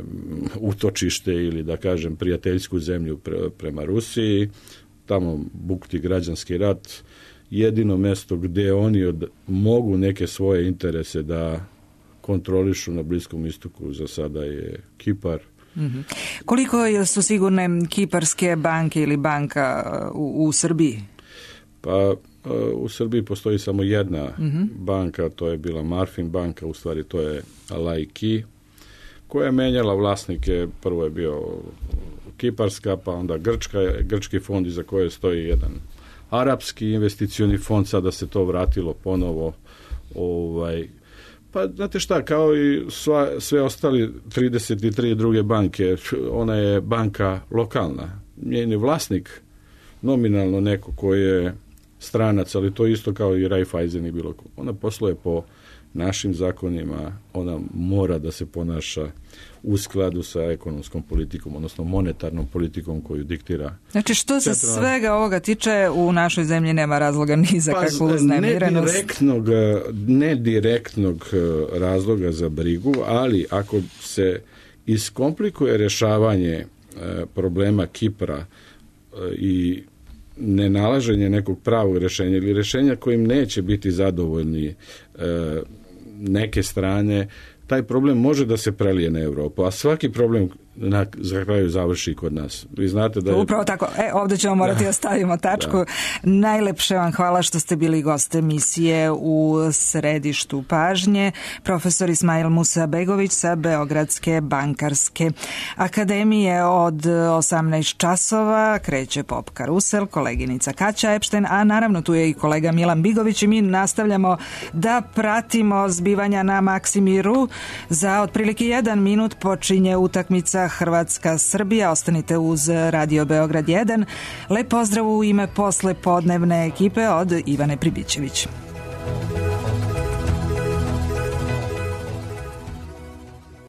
utočište ili da kažem prijateljsku zemlju pre, prema Rusiji, tamo bukti građanski rat, jedino mesto gdje oni od, mogu neke svoje interese da kontrolišu na Bliskom istoku za sada je Kipar. Mm-hmm. Koliko su sigurne kiparske banke ili banka u, u Srbiji? Pa u Srbiji postoji samo jedna mm-hmm. banka, to je bila Marfin banka, u stvari to je Laiki, koja je menjala vlasnike, prvo je bio kiparska, pa onda grčka, grčki fond iza koje stoji jedan arapski investicioni fond, sada se to vratilo ponovo ovaj. Pa, znate šta, kao i sva, sve ostali trideset tri druge banke, ona je banka lokalna. Njen je vlasnik nominalno neko koji je stranac, ali to isto kao i Raiffeisen i bilo ko. Ona posluje po našim zakonima, ona mora da se ponaša u skladu sa ekonomskom politikom, odnosno monetarnom politikom koju diktira. Znači što se centralna... svega ovoga tiče, u našoj zemlji nema razloga ni za pa, kakvu uznemirenost. Ne direktnog, ne direktnog razloga za brigu, ali ako se iskomplikuje rješavanje problema Kipra i nenalaženje nekog pravog rješenja ili rješenja kojim neće biti zadovoljni neke strane, taj problem može da se prelije na Evropu, a svaki problem na za kraju završi kod nas. Vi znate da je... Upravo tako. E, ovdje ćemo morati da stavimo tačku. Da. Najlepše vam hvala što ste bili gost emisije u središtu pažnje. Profesor Ismail Musabegović sa Beogradske bankarske akademije. Od osamnaest časova kreće Pop Karusel, koleginica Kaća Epšten, a naravno tu je i kolega Milan Bigović i mi nastavljamo da pratimo zbivanja na Maksimiru. Za otprilike jedan minut počinje utakmica Hrvatska-Srbija. Ostanite uz Radio Beograd jedan. Lep pozdrav u ime posle podnevne ekipe od Ivane Pribićević.